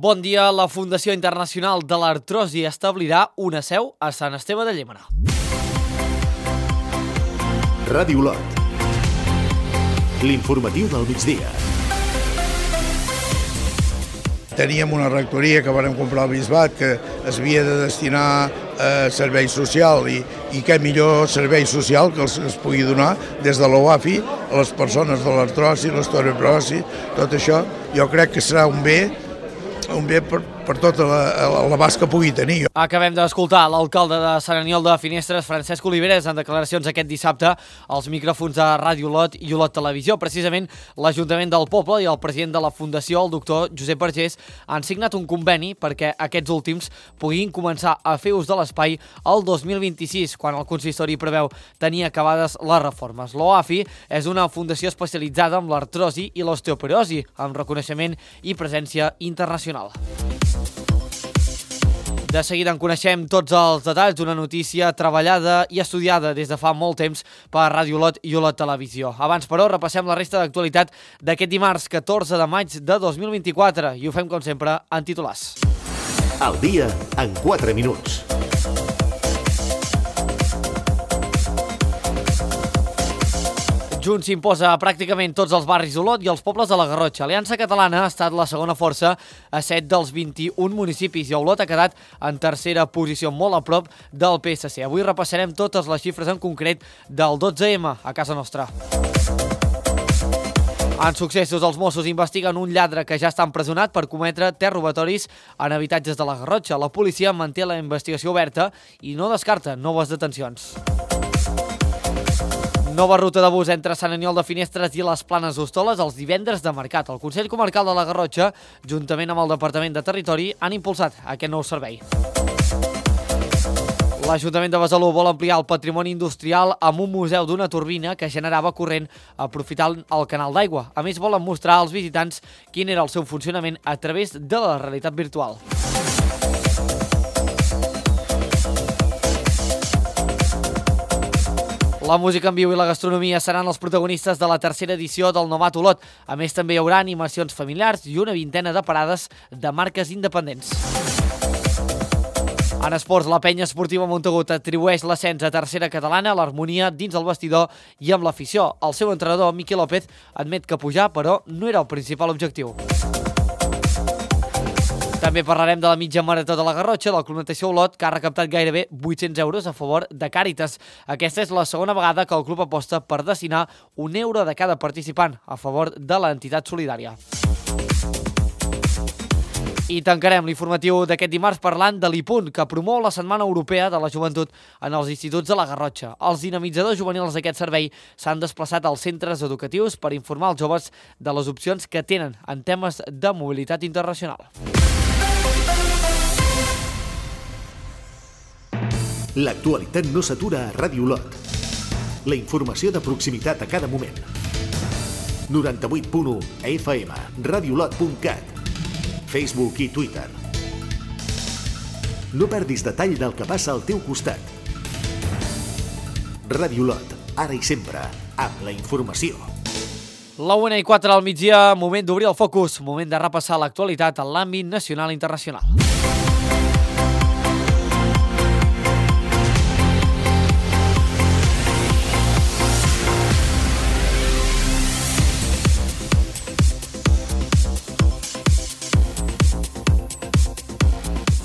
Bon dia. La Fundació Internacional de l'Artrosi establirà una seu a Sant Esteve de Llémena. Ràdio Olot. L'informatiu del migdia. Teníem una rectoria que vam comprar al Bisbat que es havia de destinar a servei social i què millor servei social que es pugui donar des de l'OAFI a les persones de l'artrosi, l'osteoporosi, tot això. Jo crec que serà un bé per tot l'abast que pugui tenir. Acabem d'escoltar l'alcalde de Sant Aniol de Finestres, Francesc Oliveres, en declaracions aquest dissabte als micròfons de Ràdio Olot i Olot Televisió. Precisament l'Ajuntament del Poble i el president de la Fundació, el doctor Josep Vergés, han signat un conveni perquè aquests últims puguin començar a fer ús de l'espai el 2026, quan el consistori preveu tenir acabades les reformes. L'OAFI és una fundació especialitzada en l'artrosi i l'osteoporosi, amb reconeixement i presència internacional. De seguida en coneixem tots els detalls d'una notícia treballada i estudiada des de fa molt temps per Ràdio Olot i Olot Televisió. Abans, però, repassem la resta d'actualitat d'aquest dimarts 14 de maig de 2024 i ho fem, com sempre, en titulars. El dia en 4 minuts. Junts s'imposa a pràcticament tots els barris d'Olot i els pobles de la Garrotxa. Aliança Catalana ha estat la segona força a 7 dels 21 municipis i Olot ha quedat en tercera posició, molt a prop del PSC. Avui repassarem totes les xifres en concret del 12M a casa nostra. En successos, els Mossos investiguen un lladre que ja està empresonat per cometre 3 robatoris en habitatges de la Garrotxa. La policia manté la investigació oberta i no descarta noves detencions. Nova ruta de bus entre Sant Aniol de Finestres i les Planes d'Hostoles els divendres de mercat. El Consell Comarcal de la Garrotxa, juntament amb el Departament de Territori, han impulsat aquest nou servei. L'Ajuntament de Besalú vol ampliar el patrimoni industrial amb un museu d'una turbina que generava corrent aprofitant el canal d'aigua. A més, volen mostrar als visitants quin era el seu funcionament a través de la realitat virtual. La música en viu i la gastronomia seran els protagonistes de la tercera edició del Novat Olot. A més, també hi haurà animacions familiars i una vintena de parades de marques independents. En esports, la penya esportiva Montagut atribueix l'ascens a tercera catalana a l'harmonia dins el vestidor i amb l'afició. El seu entrenador, Miqui López, admet que pujar, però no era el principal objectiu. També parlarem de la mitja marató de la Garrotxa, del Club Natació Olot, que ha recaptat gairebé 800 euros a favor de Càritas. Aquesta és la segona vegada que el club aposta per destinar €1 de cada participant a favor de l'entitat solidària. I tancarem l'informatiu d'aquest dimarts parlant de l'IPUN, que promou la Setmana Europea de la Joventut en els instituts de la Garrotxa. Els dinamitzadors juvenils d'aquest servei s'han desplaçat als centres educatius per informar els joves de les opcions que tenen en temes de mobilitat internacional. L'actualitat no s'atura a Ràdio Olot. La informació de proximitat a cada moment. 98.1 FM, radiolot.cat, Facebook i Twitter. No perdis detall del que passa al teu costat. Ràdio Olot, ara i sempre, amb la informació. La 1:04 al migdia, moment d'obrir el focus, moment de repassar l'actualitat en l'àmbit nacional i internacional.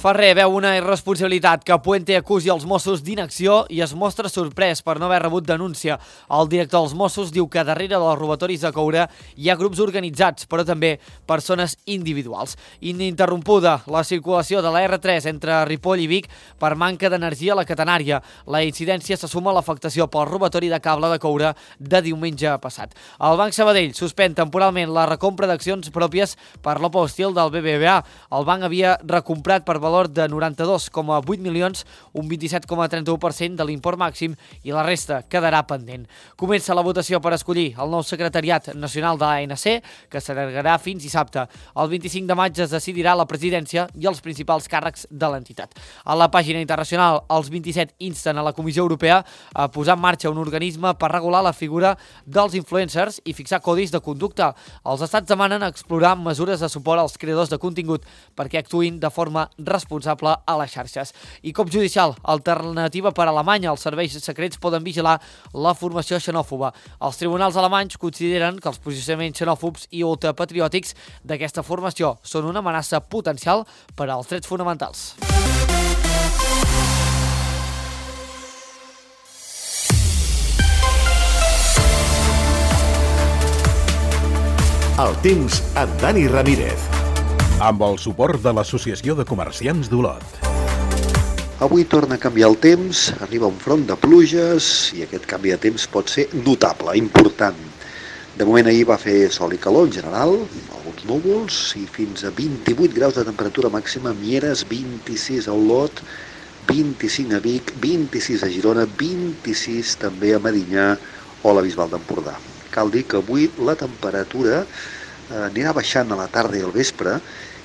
Ferrer veu una irresponsabilitat que Puente acusi els Mossos d'inacció i es mostra sorprès per no haver rebut denúncia. El director dels Mossos diu que darrere dels robatoris de coure hi ha grups organitzats, però també persones individuals. Ininterrompuda la circulació de la R3 entre Ripoll i Vic per manca d'energia a la catenària. La incidència se suma a l'afectació pel robatori de cable de coure de diumenge passat. El Banc Sabadell suspèn temporalment la recompra d'accions pròpies per l'OPA hostil del BBVA. El banc havia recomprat per valor valor de 92,8 milions, un 27,31% de l'import màxim, i la resta quedarà pendent. Comença la votació per escollir el nou secretariat nacional de l'ANC, que s'allargarà fins dissabte. El 25 de maig es decidirà la presidència i els principals càrrecs de l'entitat. A la pàgina internacional, els 27 insten a la Comissió Europea a posar en marxa un organisme per regular la figura dels influencers i fixar codis de conducta. Els estats demanen explorar mesures de suport als creadors de contingut perquè actuïn de forma responsable a les xarxes. I cop judicial, alternativa per a Alemanya. Els serveis secrets poden vigilar la formació xenòfoba. Els tribunals alemanys consideren que els posicionaments xenòfobs i ultrapatriòtics d'aquesta formació són una amenaça potencial per als drets fonamentals. El temps amb Dani Ramírez. Amb el suport de l'Associació de Comerciants d'Olot. Avui torna a canviar el temps, arriba un front de pluges i aquest canvi de temps pot ser notable, important. De moment ahir va fer sol i calor en general, alguns núvols i fins a 28 graus de temperatura màxima a Mieres, 26 a Olot, 25 a Vic, 26 a Girona, 26 també a Medinyà o a la Bisbal d'Empordà. Cal dir que avui la temperatura anirà baixant a la tarda i al vespre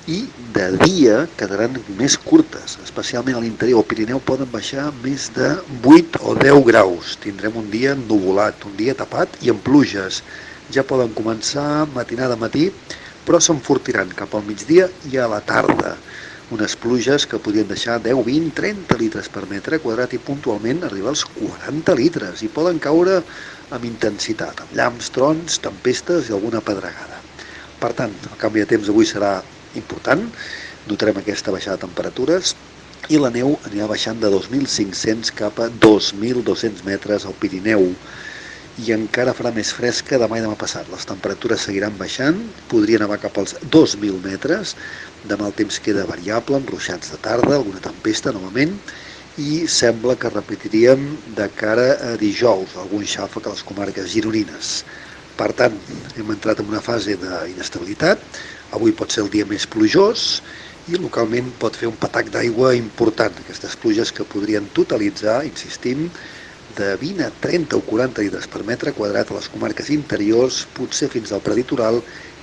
i de dia quedaran més curtes, especialment a l'interior. Al Pirineu poden baixar més de 8 o 10 graus. Tindrem un dia ennuvolat, un dia tapat i amb pluges. Ja poden començar matinada a matí, però s'enfortiran cap al migdia i a la tarda. Unes pluges que podrien deixar 10, 20, 30 litres per metre quadrat i puntualment arribar als 40 litres i poden caure amb intensitat, amb llamps, trons, tempestes i alguna pedregada. Per tant, el canvi de temps avui serà important, notarem aquesta baixada de temperatures i la neu anirà baixant de 2.500 cap a 2.200 metres al Pirineu i encara farà més fresca demà i demà passat. Les temperatures seguiran baixant, podrien anar cap als 2.000 metres, demà el temps queda variable, amb ruixats de tarda, alguna tempesta novament, i sembla que repetiríem de cara a dijous, algun xàfec a les comarques gironines. Per tant, hem entrat en una fase d'inestabilitat, avui pot ser el dia més plujós i localment pot fer un patac d'aigua important, aquestes pluges que podrien totalitzar, insistim, de 20 a 30 o 40 litres per metre quadrat a les comarques interiors, potser fins al preditoral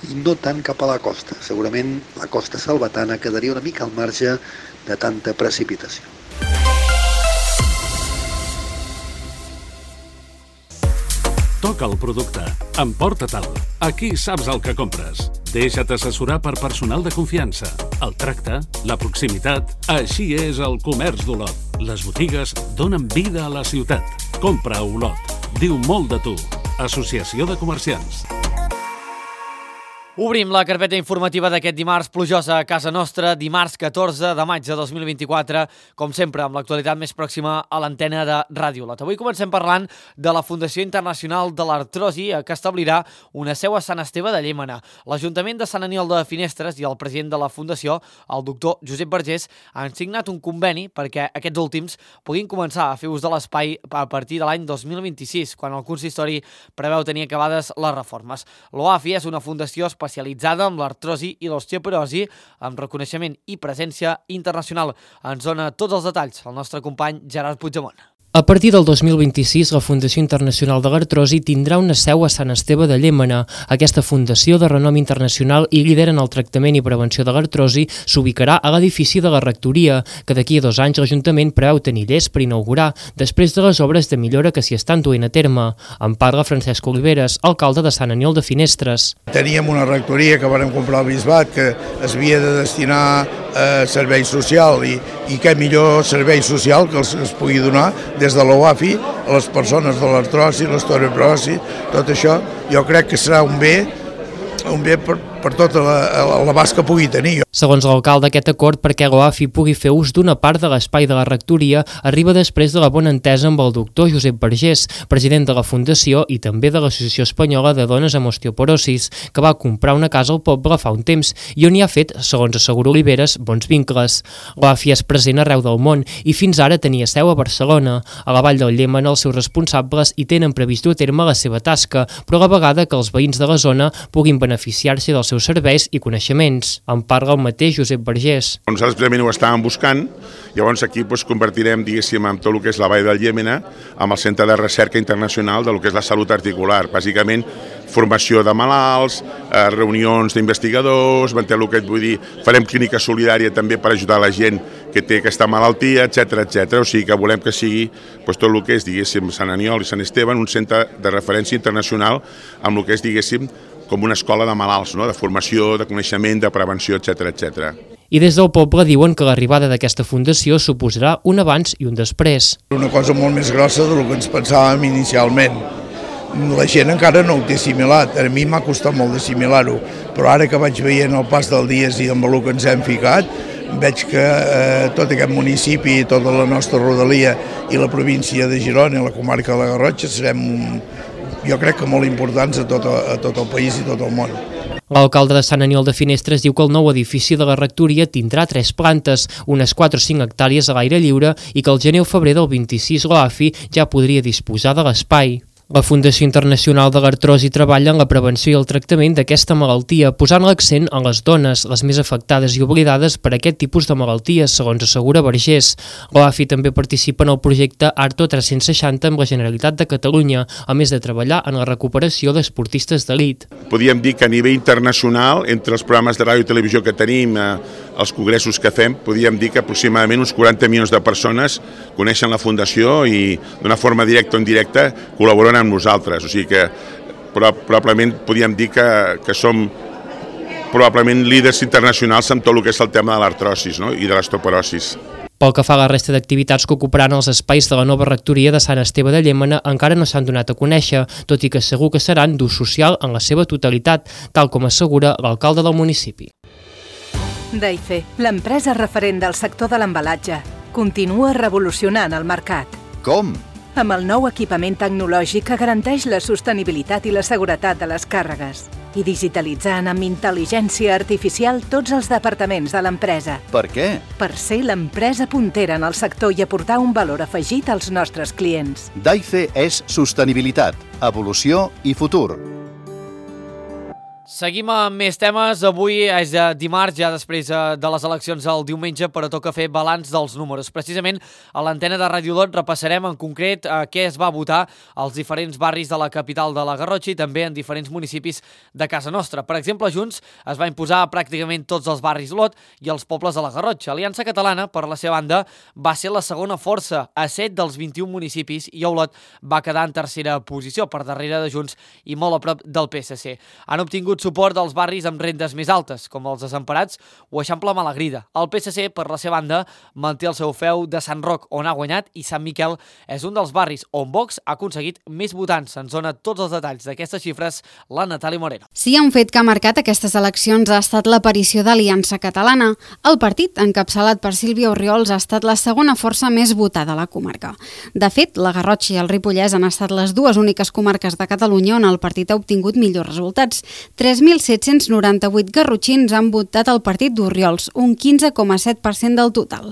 i no tant cap a la costa. Segurament la costa salvatana quedaria una mica al marge de tanta precipitació. Toca el producte. Emporta-te'l. Aquí saps el que compres. Deixa't assessorar per personal de confiança. El tracte, la proximitat... Així és el comerç d'Olot. Les botigues donen vida a la ciutat. Compra a Olot. Diu molt de tu. Associació de Comerciants. Obrim la carpeta informativa d'aquest dimarts plujosa a casa nostra, dimarts 14 de maig de 2024, com sempre, amb l'actualitat més pròxima a l'antena de Ràdio Olot. Avui comencem parlant de la Fundació Internacional de l'Artrosi, que establirà una seu a Sant Esteve de Llémena. L'Ajuntament de Sant Aniol de Finestres i el president de la Fundació, el doctor Josep Vergés, han signat un conveni perquè aquests últims puguin començar a fer ús de l'espai a partir de l'any 2026, quan el consistori preveu tenir acabades les reformes. L'OAFI és una fundació especialitzada en l'artrosi i l'osteoporosi, amb reconeixement i presència internacional. Ens dona tots els detalls el nostre company Gerard Puigdemont. A partir del 2026, la Fundació Internacional de l'Artrosi tindrà una seu a Sant Esteve de Llémena. Aquesta fundació de renom internacional i líder en el tractament i prevenció de l'artrosi s'ubicarà a l'edifici de la rectoria, que d'aquí a 2 anys l'Ajuntament preveu tenir llest per inaugurar, després de les obres de millora que s'hi estan duent a terme. En parla Francesc Oliveres, alcalde de Sant Aniol de Finestres. Teníem una rectoria que vam comprar al Bisbat, que es havia de destinar a servei social i què millor servei social que es pugui donar des de l'OAFI a les persones de l'artrosi, l'osteoporosi, tot això, jo crec que serà un bé per tot l'abast que pugui tenir. Segons l'alcalde, aquest acord perquè l'OAFI pugui fer ús d'una part de l'espai de la rectoria arriba després de la bona entesa amb el doctor Josep Vergés, president de la Fundació i també de l'Associació Espanyola de Dones amb Osteoporosis, que va comprar una casa al poble fa un temps i on hi ha fet, segons assegura Oliveres, bons vincles. L'OAFI és present arreu del món i fins ara tenia seu a Barcelona. A la Vall del Llémena els seus responsables hi tenen previst dur a terme la seva tasca, però a la vegada que els veïns de la zona puguin beneficiar-se del seus serveis i coneixements. En parla el mateix Josep Vergés. Nosaltres precisament ho estàvem buscant, llavors aquí convertirem, diguéssim, amb tot el que és la Vall del Llémena, amb el Centre de Recerca Internacional del que és la salut articular. Bàsicament, formació de malalts, reunions d'investigadors, el que et vull dir, farem clínica solidària també per ajudar la gent que té aquesta malaltia, etc. O sigui que volem que sigui tot el que és, diguéssim, Sant Aniol i Sant Esteve, un centre de referència internacional amb el que és, diguéssim, com una escola de malalts, no? De formació, de coneixement, de prevenció, etc. I des del poble diuen que l'arribada d'aquesta fundació suposarà un abans i un després. Una cosa molt més grossa del que ens pensàvem inicialment. La gent encara no ho té assimilat, a mi m'ha costat molt d'assimilar-ho, però ara que vaig veient el pas del dies i amb el que ens hem ficat, veig que tot aquest municipi, tota la nostra rodalia i la província de Girona i la comarca de la Garrotxa serem, jo crec que molt importants a tot el país i tot el món. L'alcalde de Sant Aniol de Finestres diu que el nou edifici de la rectoria tindrà 3 plantes, unes 4 o 5 hectàrees a l'aire lliure i que el gener o febrer del 26 l'AFI ja podria disposar de l'espai. La Fundació Internacional de l'Artrosi treballa en la prevenció i el tractament d'aquesta malaltia, posant l'accent en les dones, les més afectades i oblidades per aquest tipus de malalties, segons assegura Vergés. L'AFI també participa en el projecte Arto 360 amb la Generalitat de Catalunya, a més de treballar en la recuperació d'esportistes d'elit. Podríem dir que a nivell internacional, entre els programes de ràdio i televisió que tenim, els congressos que fem, podríem dir que aproximadament uns 40 milions de persones coneixen la Fundació i d'una forma directa o indirecta col·laboren amb nosaltres. O sigui que probablement podríem dir que som probablement líders internacionals en tot el que és el tema de l'artrosis, no? I de l'osteoporosis. Pel que fa a la resta d'activitats que ocuparan els espais de la nova rectoria de Sant Esteve de Llémena encara no s'han donat a conèixer, tot i que segur que seran d'ús social en la seva totalitat, tal com assegura l'alcalde del municipi. Daife, l'empresa referent del sector de l'embalatge, continua revolucionant el mercat. Com? Amb el nou equipament tecnològic que garanteix la sostenibilitat i la seguretat de les càrregues i digitalitzant amb intel·ligència artificial tots els departaments de l'empresa. Per què? Per ser l'empresa puntera en el sector i aportar un valor afegit als nostres clients. Daife és sostenibilitat, evolució i futur. Seguim amb més temes. Avui és dimarts, ja després de les eleccions del diumenge, però toca fer balanç dels números. Precisament a l'antena de Ràdio Lot repassarem en concret què es va votar als diferents barris de la capital de la Garrotxa i també en diferents municipis de casa nostra. Per exemple, Junts es va imposar a pràcticament tots els barris Lot i els pobles de la Garrotxa. Aliança Catalana, per la seva banda, va ser la segona força a 7 dels 21 municipis i Olot va quedar en tercera posició, per darrere de Junts i molt a prop del PSC. Han obtingut suport dels barris amb rendes més altes, com els Desemparats o Eixample Malagrida. El PSC, per la seva banda, manté el seu feu de Sant Roc, on ha guanyat, i Sant Miquel és un dels barris on Vox ha aconseguit més votants. Ens dona tots els detalls d'aquestes xifres la Natàlia Moreno. Sí, un fet que ha marcat aquestes eleccions ha estat l'aparició d'Aliança Catalana. El partit, encapçalat per Sílvia Orriols, ha estat la segona força més votada a la comarca. De fet, la Garrotxa i el Ripollès han estat les dues úniques comarques de Catalunya on el partit ha obtingut millors resultats. 3.798 garrotxins han votat el partit d'Orriols, un 15,7% del total.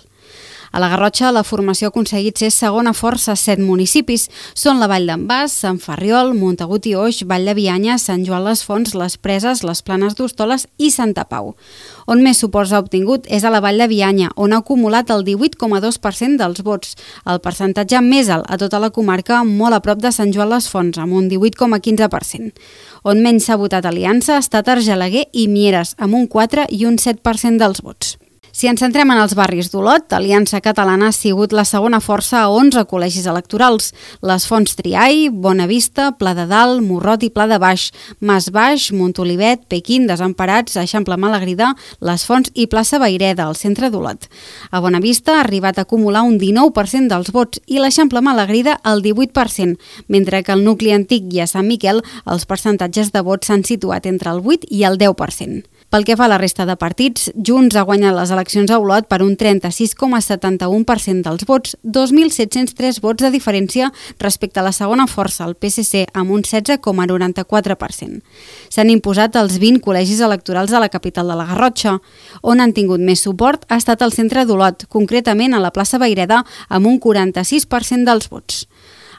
A la Garrotxa, la formació ha aconseguit ser segona força a 7 municipis. Són la Vall d'en Bas, Sant Ferriol, Montagut i Oix, Vall de Bianya, Sant Joan les Fonts, les Preses, les Planes d'Hostoles i Santa Pau. On més suports ha obtingut és a la Vall de Bianya, on ha acumulat el 18,2% dels vots, el percentatge més alt a tota la comarca, molt a prop de Sant Joan les Fonts, amb un 18,15%. On menys s'ha votat Aliança ha estat Argelaguer i Mieres, amb un 4 i un 7% dels vots. Si ens centrem en els barris d'Olot, Aliança Catalana ha sigut la segona força a 11 col·legis electorals. Les Fonts Triai, Bonavista, Pla de Dalt, Morrot i Pla de Baix, Mas Baix, Montolivet, Pequín, Desemparats, Eixample Malagrida, Les Fonts i Plaça Vaireda, al centre d'Olot. A Bonavista ha arribat a acumular un 19% dels vots i l'Eixample Malagrida el 18%, mentre que al nucli antic i a Sant Miquel els percentatges de vots s'han situat entre el 8 i el 10%. Pel que fa a la resta de partits, Junts ha guanyat les eleccions a Olot per un 36,71% dels vots, 2.703 vots de diferència respecte a la segona força, el PSC, amb un 16,94%. S'han imposat els 20 col·legis electorals de la capital de la Garrotxa. On han tingut més suport ha estat el centre d'Olot, concretament a la plaça Vaireda, amb un 46% dels vots.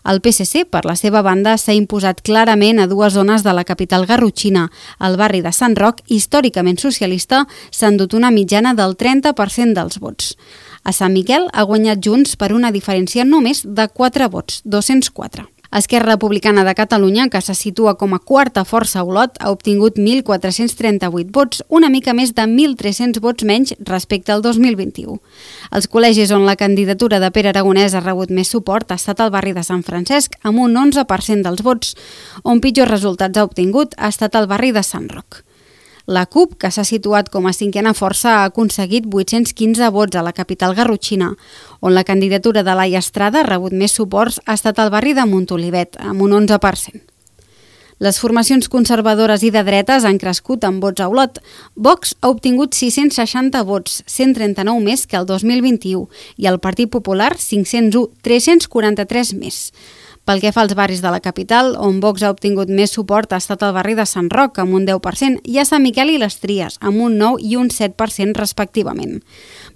El PSC, per la seva banda, s'ha imposat clarament a dues zones de la capital garrotxina. Al barri de Sant Roc, històricament socialista, s'ha endut una mitjana del 30% dels vots. A Sant Miquel ha guanyat Junts per una diferència només de 4 vots, 204. Esquerra Republicana de Catalunya, que se situa com a quarta força a Olot, ha obtingut 1.438 vots, una mica més de 1.300 vots menys respecte al 2021. Els col·legis on la candidatura de Pere Aragonès ha rebut més suport ha estat el barri de Sant Francesc, amb un 11% dels vots. On pitjors resultats ha obtingut ha estat el barri de Sant Roc. La CUP, que s'ha situat com a cinquena força, ha aconseguit 815 vots a la capital garrotxina, on la candidatura de Laia Estrada ha rebut més suports ha estat al barri de Montolivet, amb un 11%. Les formacions conservadores i de dretes han crescut en vots a Olot. Vox ha obtingut 660 vots, 139 més que el 2021, i el Partit Popular 501, 343 més. Pel que fa als barris de la capital, on Vox ha obtingut més suport ha estat el barri de Sant Roc, amb un 10%, i a Sant Miquel i les Tries, amb un 9% i un 7% respectivament.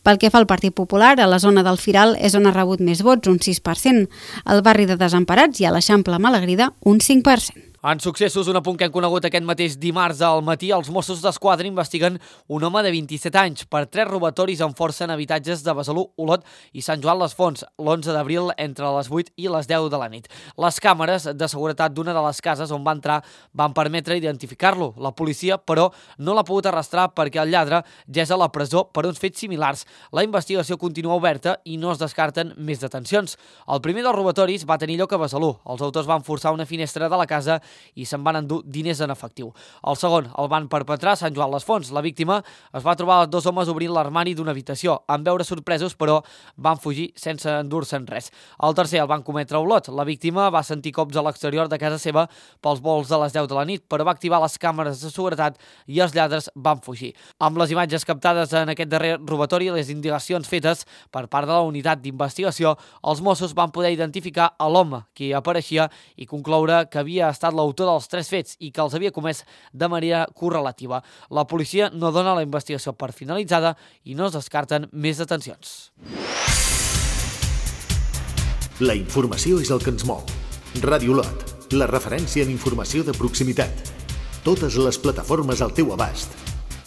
Pel que fa al Partit Popular, a la zona del Firal és on ha rebut més vots, un 6%, al barri de Desemparats i a l'Eixample Malagrida, un 5%. En successos, un apunt que hem conegut aquest mateix dimarts al matí, els Mossos d'Esquadra investiguen un home de 27 anys per 3 robatoris amb força en habitatges de Besalú, Olot i Sant Joan les Fonts, l'11 d'abril entre les 8 i les 10 de la nit. Les càmeres de seguretat d'una de les cases on va entrar van permetre identificar-lo. La policia, però, no l'ha pogut arrastrar perquè el lladre ja és a la presó per uns fets similars. La investigació continua oberta i no es descarten més detencions. El primer dels robatoris va tenir lloc a Besalú. Els autors van forçar una finestra de la casa i se'n van endur diners en efectiu. El segon el van perpetrar a Sant Joan les Fonts. La víctima es va trobar els 2 homes obrint l'armari d'una habitació. En veure sorpresos, però, van fugir sense endur-se'n res. El tercer el van cometre a Olot. La víctima va sentir cops a l'exterior de casa seva pels volts de les 10 de la nit, però va activar les càmeres de seguretat i els lladres van fugir. Amb les imatges captades en aquest darrer robatori i les indagacions fetes per part de la unitat d'investigació, els Mossos van poder identificar a l'home que apareixia i concloure que havia estat l'autor dels 3 fets i que els havia comès de manera correlativa. La policia no dona la investigació per finalitzada i no es descarten més detencions. La informació és el que ens mou. Ràdio Olot, la referència en informació de proximitat. Totes les plataformes al teu abast.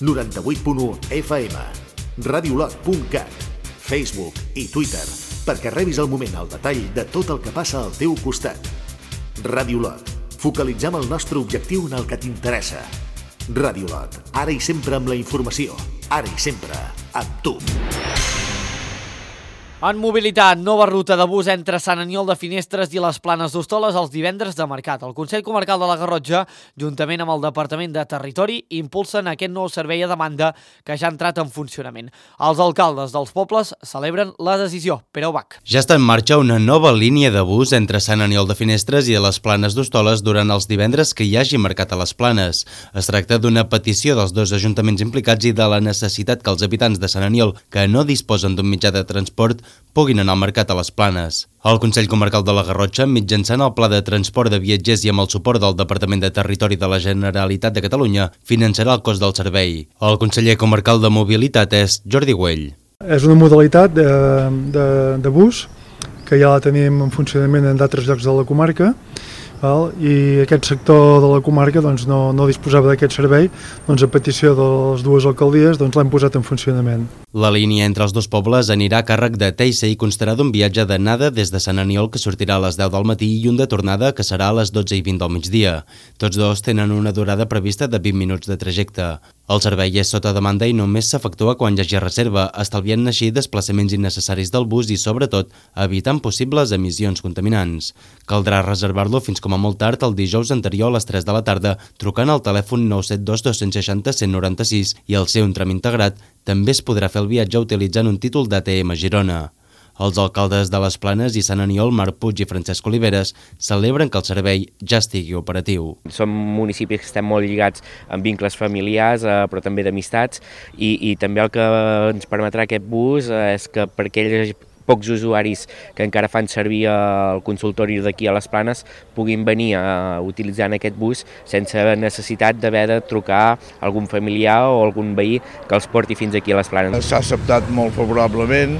98.1 FM, radiolot.cat, Facebook i Twitter, perquè rebis al moment el detall de tot el que passa al teu costat. Ràdio Olot. Focalitzem el nostre objectiu en el que t'interessa. Ràdio Olot, ara i sempre amb la informació, ara i sempre amb tu. En mobilitat, nova ruta de bus entre Sant Aniol de Finestres i les Planes d'Hostoles els divendres de mercat. El Consell Comarcal de la Garrotxa, juntament amb el Departament de Territori, impulsen aquest nou servei a demanda que ja ha entrat en funcionament. Els alcaldes dels pobles celebren la decisió. Pere Ubach. Ja està en marxa una nova línia de bus entre Sant Aniol de Finestres i les Planes d'Hostoles durant els divendres que hi hagi mercat a les Planes. Es tracta d'una petició dels 2 ajuntaments implicats i de la necessitat que els habitants de Sant Aniol, que no disposen d'un mitjà de transport, puguin anar al mercat a les Planes. El Consell Comarcal de la Garrotxa, mitjançant el Pla de Transport de Viatgers i amb el suport del Departament de Territori de la Generalitat de Catalunya, finançarà el cost del servei. El conseller comarcal de Mobilitat és Jordi Güell. És una modalitat de bus que ja la tenim en funcionament en d'altres llocs de la comarca, i aquest sector de la comarca no disposava d'aquest servei, a petició de les 2 alcaldies l'hem posat en funcionament. La línia entre els 2 pobles anirà a càrrec de Teissa i constarà d'un viatge d'anada des de Sant Aniol que sortirà a les 10 del matí i un de tornada que serà a les 12:20 del migdia. Tots 2 tenen una durada prevista de 20 minuts de trajecte. El servei és sota demanda i només s'efectua quan hi hagi reserva, estalviant així desplaçaments innecessaris del bus i, sobretot, evitant possibles emissions contaminants. Caldrà reservar-lo fins com a molt tard el dijous anterior a les 3 de la tarda, trucant al telèfon 972 260 196 i al ser un tram integrat, també es podrà fer el viatge utilitzant un títol d'ATM Girona. Els alcaldes de les Planes i Sant Aniol, Marc Puig i Francesc Oliveres, celebren que el servei ja estigui operatiu. Som municipis que estem molt lligats amb vincles familiars, però també d'amistats, i també el que ens permetrà aquest bus és que per aquells pocs usuaris que encara fan servir el consultori d'aquí a les Planes puguin venir utilitzant aquest bus sense necessitat d'haver de trucar a algun familiar o algun veí que els porti fins aquí a les Planes. S'ha acceptat molt favorablement,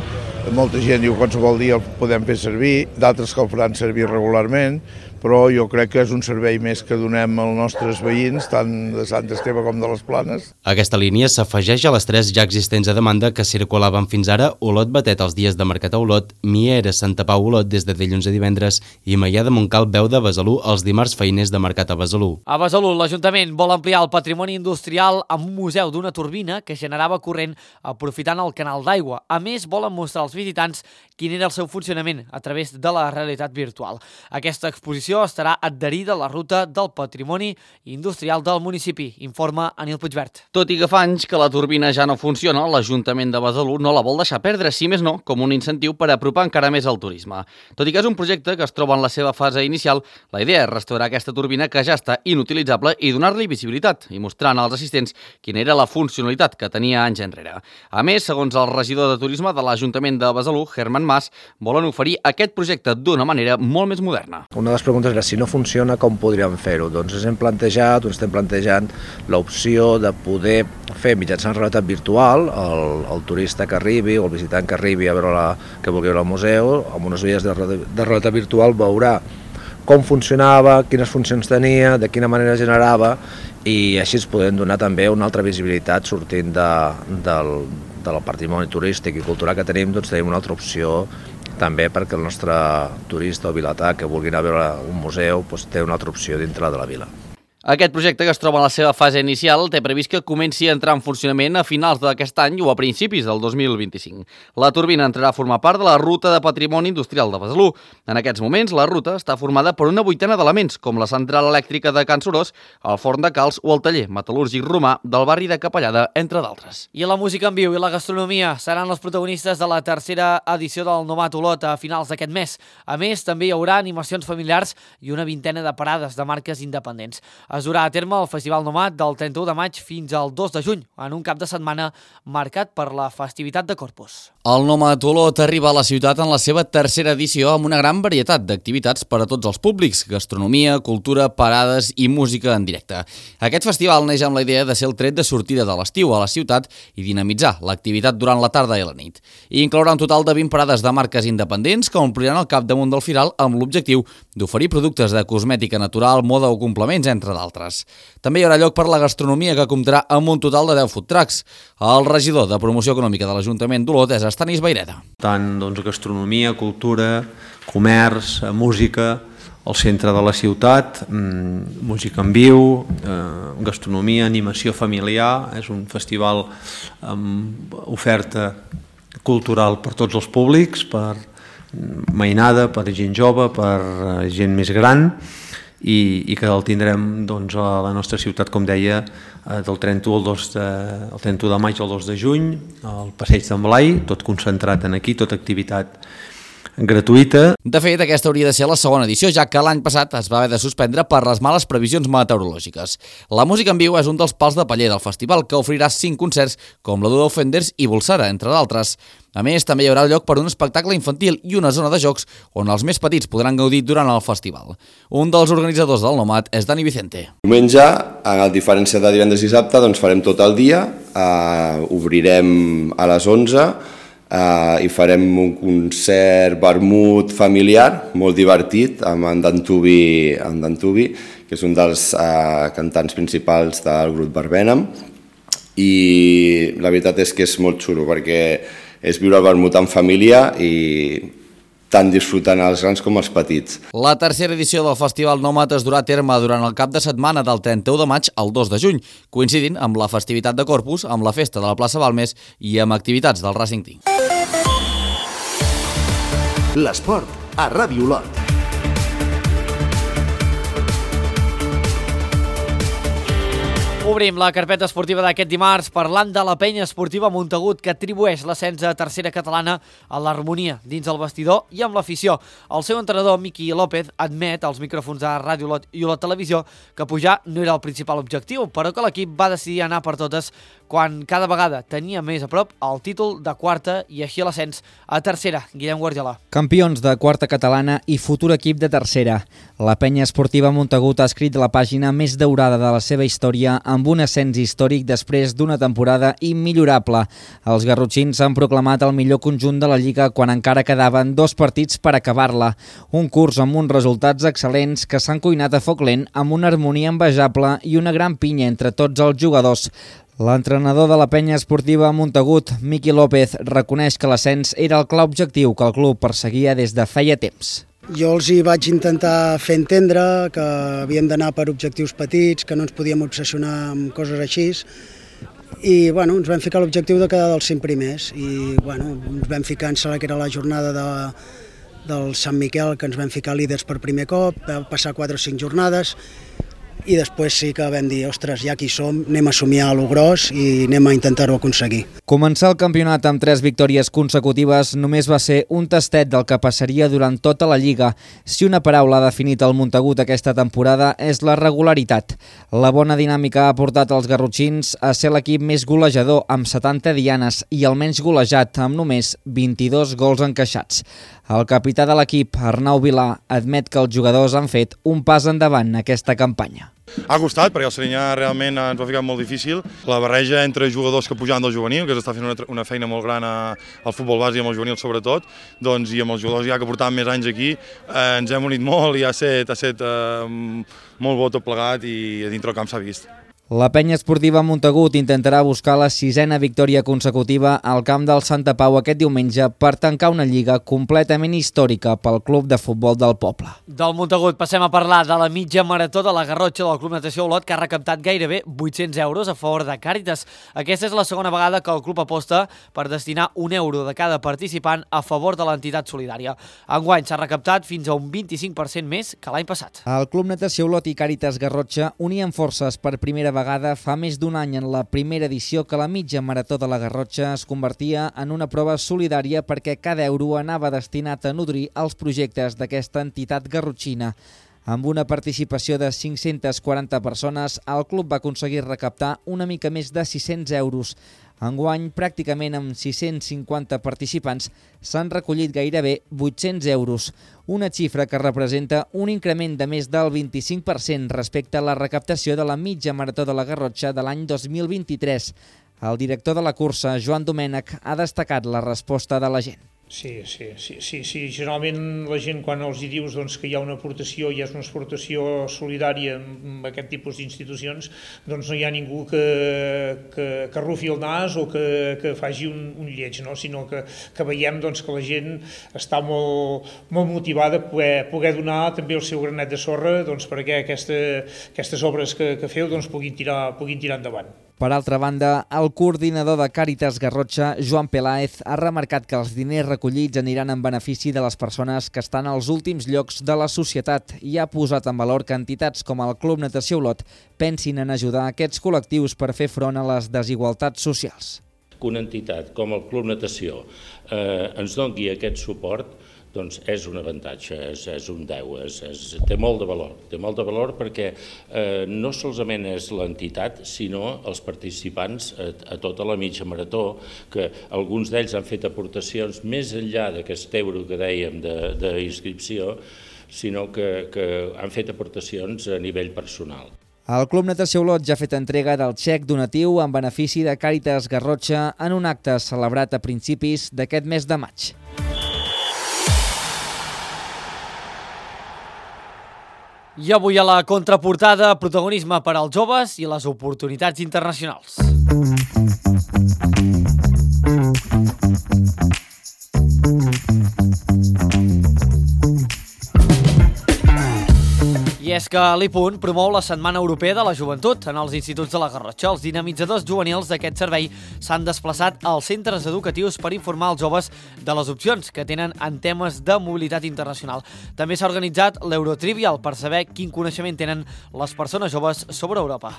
Molta gent diu que qualsevol dia el podem fer servir, d'altres que el faran servir regularment, però jo crec que és un servei més que donem als nostres veïns, tant de Sant Esteve com de les Planes. Aquesta línia s'afegeix a les 3 ja existents a demanda que circulaven fins ara Olot Batet els dies de Mercat a Olot, Miera Santa Pau Olot des de dilluns a divendres i Maià de Montcal Beu de Besalú els dimarts feiners de Mercat a Besalú. A Besalú, l'Ajuntament vol ampliar el patrimoni industrial amb un museu d'una turbina que generava corrent aprofitant el canal d'aigua. A més, volen mostrar als visitants quin era el seu funcionament a través de la realitat virtual. Aquesta exposició estarà adherida a la ruta del patrimoni industrial del municipi, informa Anil Puigvert. Tot i que fa anys que la turbina ja no funciona, l'Ajuntament de Besalú no la vol deixar perdre, si més no, com un incentiu per apropar encara més el turisme. Tot i que és un projecte que es troba en la seva fase inicial, la idea és restaurar aquesta turbina que ja està inutilitzable i donar-li visibilitat i mostrant als assistents quina era la funcionalitat que tenia anys enrere. A més, segons el regidor de turisme de l'Ajuntament de Besalú, Herman Mas, volen oferir aquest projecte d'una manera molt més moderna. Una de les preguntes era si no funciona, com podríem fer-ho? Doncs estem plantejant l'opció de poder fer mitjançant realitat virtual el turista que arribi o el visitant que arribi a veure que vulgui veure el museu, amb unes ulleres de realitat virtual veurà com funcionava, quines funcions tenia, de quina manera generava i així es podem donar també una altra visibilitat sortint del patrimoni turístic i cultural que tenim, doncs tenim una altra opció també perquè el nostre turista o vilatà que vulgui anar a veure un museu té una altra opció dintre de la vila. Aquest projecte, que es troba en la seva fase inicial, té previst que comenci a entrar en funcionament a finals d'aquest any o a principis del 2025. La turbina entrarà a formar part de la Ruta de Patrimoni Industrial de Besalú. En aquests moments, la ruta està formada per una vuitena d'elements, com la central elèctrica de Can Sorós, el forn de calç o el taller metal·lúrgic romà del barri de Capellada, entre d'altres. I la música en viu i la gastronomia seran els protagonistes de la tercera edició del Nomat Olot a finals d'aquest mes. A més, també hi haurà animacions familiars i una vintena de parades de marques independents. Es durà a terme el Festival Nomat del 31 de maig fins al 2 de juny, en un cap de setmana marcat per la festivitat de Corpus. El Nomat Olot arriba a la ciutat en la seva tercera edició amb una gran varietat d'activitats per a tots els públics, gastronomia, cultura, parades i música en directe. Aquest festival neix amb la idea de ser el tret de sortida de l'estiu a la ciutat i dinamitzar l'activitat durant la tarda i la nit. I inclourà un total de 20 parades de marques independents que ompliran el capdamunt del firal amb l'objectiu d'oferir productes de cosmètica natural, moda o complements, entre d'altres. També hi haurà lloc per la gastronomia, que comptarà amb un total de 10 food trucks. El regidor de Promoció Econòmica de l'Ajuntament d'Olot és Estanis Baireda. Tant gastronomia, cultura, comerç, música, al centre de la ciutat, música en viu, gastronomia, animació familiar. És un festival amb oferta cultural per tots els públics, per mainada, per gent jove, per gent més gran, i que el tindrem a la nostra ciutat, com deia, del 31 de maig al 2 de juny, al Passeig d'en Blai, tot concentrat en aquí, tota activitat gratuïta. De fet, aquesta hauria de ser la segona edició, ja que l'any passat es va haver de suspendre per les males previsions meteorològiques. La música en viu és un dels pals de paller del festival, que oferirà 5 concerts, com la d'Udo Fenders i Bolsara, entre d'altres. A més, també hi haurà lloc per un espectacle infantil i una zona de jocs on els més petits podran gaudir durant el festival. Un dels organitzadors del Nomat és Dani Vicente. Diumenge, a diferència de divendres i dissabte, farem tot el dia, obrirem a les 11, i farem un concert vermut familiar, molt divertit, amb en Dantubi, que és un dels cantants principals del grup Barbenham, i la veritat és que és molt xulo, perquè és viure el vermut en família i tant disfrutant els grans com els petits. La tercera edició del Festival Nomat es durà a terme durant el cap de setmana del 31 de maig al 2 de juny, coincidint amb la festivitat de Corpus, amb la festa de la plaça Balmes i amb activitats del Racing Team. L'esport a Ràdio Olot. Obrim la carpeta esportiva d'aquest dimarts parlant de la penya esportiva Montagut, que atribueix l'ascens a tercera catalana a l'harmonia dins el vestidor i amb l'afició. El seu entrenador, Miqui López, admet als micròfons de Ràdio Olot i Olot Televisió que pujar no era el principal objectiu, però que l'equip va decidir anar per totes quan cada vegada tenia més a prop el títol de quarta i així l'ascens a tercera. Guillem Guardiola. Campions de quarta catalana i futur equip de tercera. La penya esportiva Montagut ha escrit la pàgina més daurada de la seva història amb un ascens històric després d'una temporada immillorable. Els garrotxins han proclamat el millor conjunt de la Lliga quan encara quedaven 2 partits per acabar-la. Un curs amb uns resultats excel·lents que s'han cuinat a foc lent amb una harmonia envejable i una gran pinya entre tots els jugadors. L'entrenador de la penya esportiva Montagut, Miqui López, reconeix que l'ascens era el clar objectiu que el club perseguia des de feia temps. Jo els hi vaig intentar fer entendre que havíem d'anar per objectius petits, que no ens podíem obsessionar amb coses així, i ens vam ficar l'objectiu de quedar dels 5 primers i ens vam ficar, em sembla que era la jornada del Sant Miquel, que ens vam ficar líders per primer cop, va passar 4 o 5 jornades i després sí que vam dir, ostres, ja aquí som, anem a somiar a lo gros i anem a intentar-ho aconseguir. Començar el campionat amb 3 victòries consecutives només va ser un tastet del que passaria durant tota la Lliga. Si una paraula ha definit el Montagut aquesta temporada és la regularitat. La bona dinàmica ha portat els garrotxins a ser l'equip més golejador amb 70 dianes i el menys golejat amb només 22 gols encaixats. El capità de l'equip, Arnau Vilà, admet que els jugadors han fet un pas endavant en aquesta campanya. Ha costat, perquè el Serinyà realment ens va ficar molt difícil. La barreja entre jugadors que pujaven del juvenil, que s'està fent una feina molt gran al futbol base i amb el juvenil sobretot, i amb els jugadors ja que portaven més anys aquí, ens hem unit molt i ha estat molt bo tot plegat i a dintre el camp s'ha vist. La penya esportiva Montagut intentarà buscar la 6a victòria consecutiva al camp del Santa Pau aquest diumenge per tancar una lliga completament històrica pel club de futbol del poble. Del Montagut passem a parlar de la mitja marató de la Garrotxa del Club Natació Olot, que ha recaptat gairebé 800 euros a favor de Càritas. Aquesta és la segona vegada que el club aposta per destinar €1 de cada participant a favor de l'entitat solidària. Enguany s'ha recaptat fins a un 25% més que l'any passat. El Club Natació Olot i Càritas Garrotxa unien forces per primera vegada fa més d'un any en la primera edició que la mitja marató de la Garrotxa es convertia en una prova solidària perquè cada euro anava destinat a nodrir els projectes d'aquesta entitat garrotxina. Amb una participació de 540 persones, el club va aconseguir recaptar una mica més de 600 euros. Enguany, pràcticament amb 650 participants, s'han recollit gairebé 800 euros, una xifra que representa un increment de més del 25% respecte a la recaptació de la mitja marató de la Garrotxa de l'any 2023. El director de la cursa, Joan Domènech, ha destacat la resposta de la gent. Sí. Generalment la gent quan els hi dius que hi ha una aportació i és una aportació solidària amb aquest tipus d'institucions, doncs no hi ha ningú que rufi el nas o que faci un lleig, sinó que veiem que la gent està molt motivada a poder donar també el seu granet de sorra perquè aquestes obres que feu puguin tirar endavant. Per altra banda, el coordinador de Càritas Garrotxa, Joan Peláez, ha remarcat que els diners recollits aniran en benefici de les persones que estan als últims llocs de la societat i ha posat en valor que entitats com el Club Natació Olot pensin en ajudar aquests col·lectius per fer front a les desigualtats socials. Que una entitat com el Club Natació ens doni aquest suport doncs és un avantatge, és un 10, té molt de valor perquè no solament és l'entitat, sinó els participants a tota la mitja marató, que alguns d'ells han fet aportacions més enllà d'aquest euro que dèiem d'inscripció, sinó que han fet aportacions a nivell personal. El Club Natació Olot ja ha fet entrega del xec donatiu en benefici de Càritas Garrotxa en un acte celebrat a principis d'aquest mes de maig. I avui a la contraportada, protagonisme per als joves i les oportunitats internacionals. I és que l'IPUN promou la Setmana Europea de la Joventut en els instituts de la Garrotxa. Els dinamitzadors juvenils d'aquest servei s'han desplaçat als centres educatius per informar els joves de les opcions que tenen en temes de mobilitat internacional. També s'ha organitzat l'Eurotrivial per saber quin coneixement tenen les persones joves sobre Europa.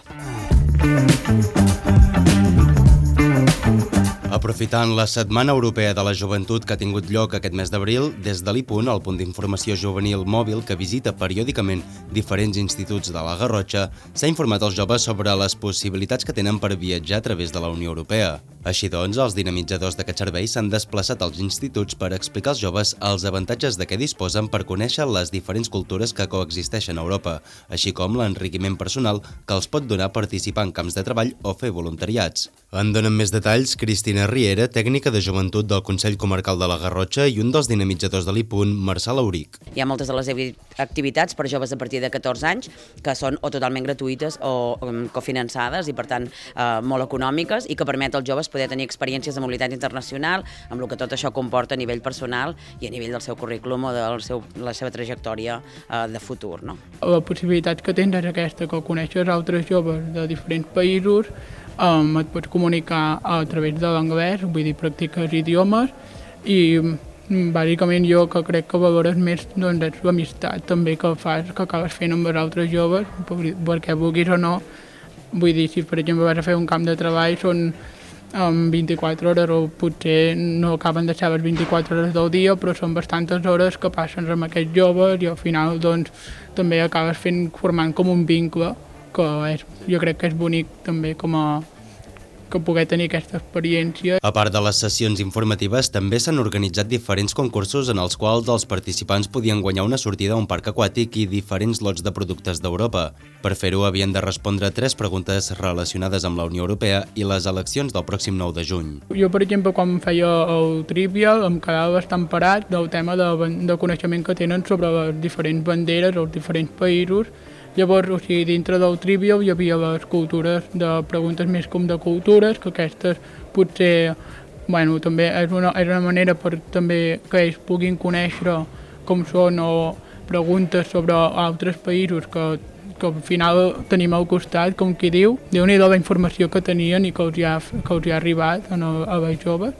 Aprofitant la Setmana Europea de la Joventut que ha tingut lloc aquest mes d'abril, des de l'I-Punt, el punt d'informació juvenil mòbil que visita periòdicament diferents instituts de la Garrotxa, s'ha informat als joves sobre les possibilitats que tenen per viatjar a través de la Unió Europea. Així doncs, els dinamitzadors d'aquest servei s'han desplaçat als instituts per explicar als joves els avantatges de què disposen per conèixer les diferents cultures que coexisteixen a Europa, així com l'enriquiment personal que els pot donar participar en camps de treball o fer voluntariats. En donen més detalls Cristina Riera, tècnica de joventut del Consell Comarcal de la Garrotxa, i un dels dinamitzadors de l'I-Punt, Marçal Auric. Hi ha moltes de les activitats per joves a partir de 14 anys que són o totalment gratuïtes o cofinançades i per tant molt econòmiques i que permet als joves poder tenir experiències de mobilitat internacional amb el que tot això comporta a nivell personal i a nivell del seu currículum o de la seva trajectòria de futur. No? La possibilitat que tens és aquesta, que coneixes altres joves de diferents països, et pots comunicar a través de l'anglès, vull dir, practiques idiomes i bàsicament jo que crec que valores més doncs, és l'amistat també que fas, que acabes fent amb els altres joves, perquè vulguis o no, vull dir, si per exemple vas a fer un camp de treball són 24 hores o potser no acaben de ser les 24 hores del dia, però són bastantes hores que passes amb aquests joves i al final doncs, també acabes formant com un vincle que jo crec que és bonic també que poder tenir aquesta experiència. A part de les sessions informatives, també s'han organitzat diferents concursos en els quals els participants podien guanyar una sortida a un parc aquàtic i diferents lots de productes d'Europa. Per fer-ho havien de respondre 3 preguntes relacionades amb la Unió Europea i les eleccions del pròxim 9 de juny. Jo, per exemple, quan feia el Trivial em quedava bastant parat del tema de coneixement que tenen sobre les diferents banderes als diferents països. Llavors, dintre del Trivial hi havia les cultures de preguntes més com de cultures, que aquestes potser, també és una manera per també que ells puguin conèixer com són o preguntes sobre altres països que al final tenim al costat, com qui diu, Déu-n'hi-do la informació que tenien i que els hi ha arribat a les joves.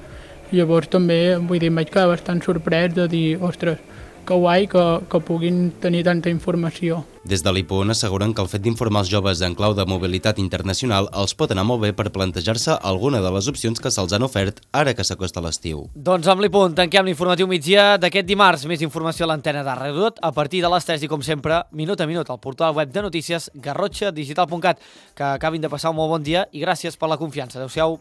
Llavors també, vull dir, em vaig quedar bastant sorprès de dir, ostres, que guai que puguin tenir tanta informació. Des de l'I-Punt asseguren que el fet d'informar els joves en clau de mobilitat internacional els pot anar molt bé per plantejar-se alguna de les opcions que se'ls han ofert ara que s'acosta l'estiu. Doncs amb l'I-Punt tanquem l'informatiu migdia d'aquest dimarts. Més informació a l'antena de Radio Lot a partir de les 3 i com sempre, minut a minut, al portal web de notícies garrotxadigital.cat. Que acabin de passar un molt bon dia i gràcies per la confiança. Adéu-siau.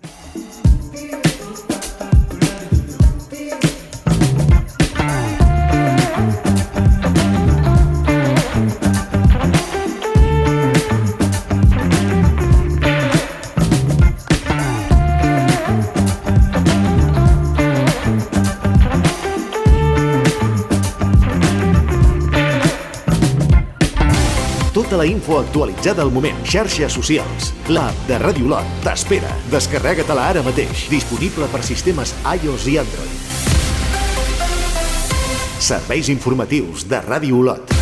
Tota la info actualitzada al moment. Xarxes socials. L'app de Radio Lot t'espera. Descarrega-te-la ara mateix. Disponible per sistemes iOS i Android. Serveis informatius de Radio Lot.